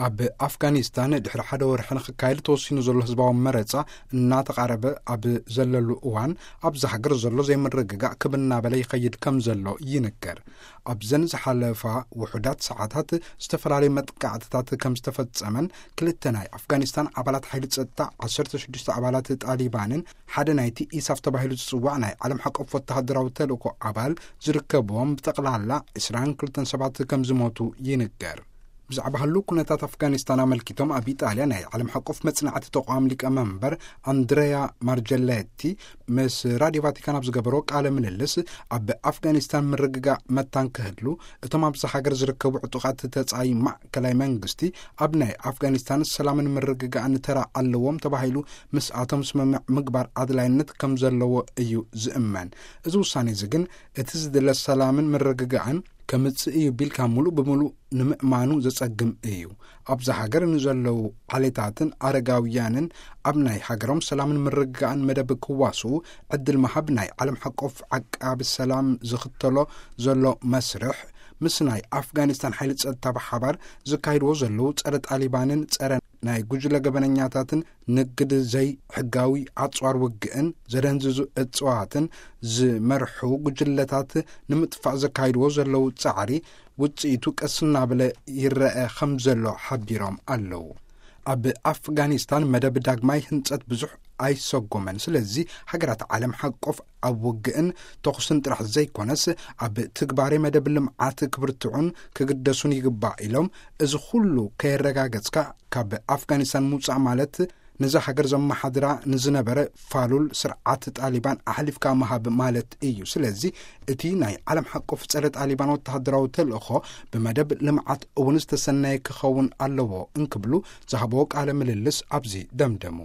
ኣብ ኣፍጋኒስታን ድሕሪ ሓደ ወርሒ ንክካየድ ተወሲኑ ዘሎ ህዝባዊ መረጻ እናተቓረበ ኣብ ዘለሉ እዋን፣ ኣብዚ ሃገር ዘሎ ዘይምርግጋእ ክብ እናበለ ይኸይድ ከም ዘሎ ይንገር። ኣብዘን ዝሓለፋ ውሑዳት ሰዓታት ዝተፈላለዩ መጥቃዕትታት ከም ዝተፈጸመን፣ ክልተ ናይ ኣፍጋኒስታን ኣባላት ሓይሊ ጸጥታ፣ ዓሰርተ ሽዱሽተ ኣባላት ጣሊባንን ሓደ ናይቲ ኢሳፍ ተባሂሉ ዝጽዋዕ ናይ ዓለም ሓቆፍ ወተሃደራዊ ተልእኮ ኣባል ዝርከብዎም፣ ብጠቕላላ ዕስራን ክልተን ሰባት ከም ዝሞቱ ይንገር። ብዛዕባ ህሉው ኩነታት ኣፍጋኒስታን ኣመልኪቶም ኣብ ኢጣልያ ናይ ዓለም ሓቆፍ መጽናዕቲ ተቋም ሊቀመንበር ኣንድረያ ማርጀሌቲ ምስ ራድዮ ቫቲካን ኣብ ዝገበሮ ቃለ ምልልስ፣ ኣብ ኣፍጋኒስታን ምርግጋእ መታን ክህሉ፣ እቶም ኣብዚ ሃገር ዝርከቡ ዕጡቓት ተጻይ ማእከላይ መንግስቲ ኣብ ናይ ኣፍጋኒስታን ሰላምን ምርግጋእን ተራ ኣለዎም ተባሂሉ ምስኣቶም ስምምዕ ምግባር ኣድላይነት ከም ዘለዎ እዩ ዝእመን። እዚ ውሳኔ እዚ ግን እቲ ዝድለ ሰላምን ምርግጋእን ከምጽእ እዩ ቢልካ ምሉእ ብምሉእ ንምእማኑ ዘጸግም እዩ። ኣብዚ ሃገር ንዘለዉ ዓሌታትን ኣረጋውያንን ኣብ ናይ ሃገሮም ሰላምን ምርግጋእን መደብ ክዋስኡ ዕድል ምሃብ ናይ ዓለም ሓቆፍ ዓቃቢ ሰላም ዝኽተሎ ዘሎ መስርሕ፣ ምስ ናይ ኣፍጋኒስታን ሓይሊ ጸጥታ ብሓባር ዝካይድዎ ዘለዉ ጸረ ጣሊባንን ጸረ ናይ ጉጅለ ገበነኛታትን ንግድ ዘይሕጋዊ ኣጽዋር ውግእን ዘደንዝዙ እጽዋትን ዝመርሑ ጉጅለታት ንምጥፋእ ዘካይድዎ ዘለዉ ጻዕሪ ውጽኢቱ ቀስ እናበለ ይረአ ከም ዘሎ ሓቢሮም ኣለዉ። ኣብ ኣፍጋኒስታን መደብ ዳግማይ ህንጸት ብዙሕ ኣይሰጎመን። ስለዚ ሃገራት ዓለም ሓቆፍ ኣብ ውግእን ተኹስን ጥራሕ ዘይኮነስ፣ ኣብ ትግባሬ መደብ ልምዓት ክብርትዑን ክግደሱን ይግባእ ኢሎም፣ እዚ ኩሉ ከየረጋገጽካ ካብ ኣፍጋኒስታን ምውጻእ ማለት ነዛ ሃገር ዘመሓድራ ንዝነበረ ፋሉል ስርዓት ጣሊባን ኣሕሊፍካ ምሃብ ማለት እዩ። ስለዚ እቲ ናይ ዓለም ሓቆፍ ጸረ ጣሊባን ወተሃደራዊ ተልእኾ ብመደብ ልምዓት እውን ዝተሰነየ ክኸውን ኣለዎ እንክብሉ ዝሃብዎ ቃለ ምልልስ ኣብዚ ደምደሙ።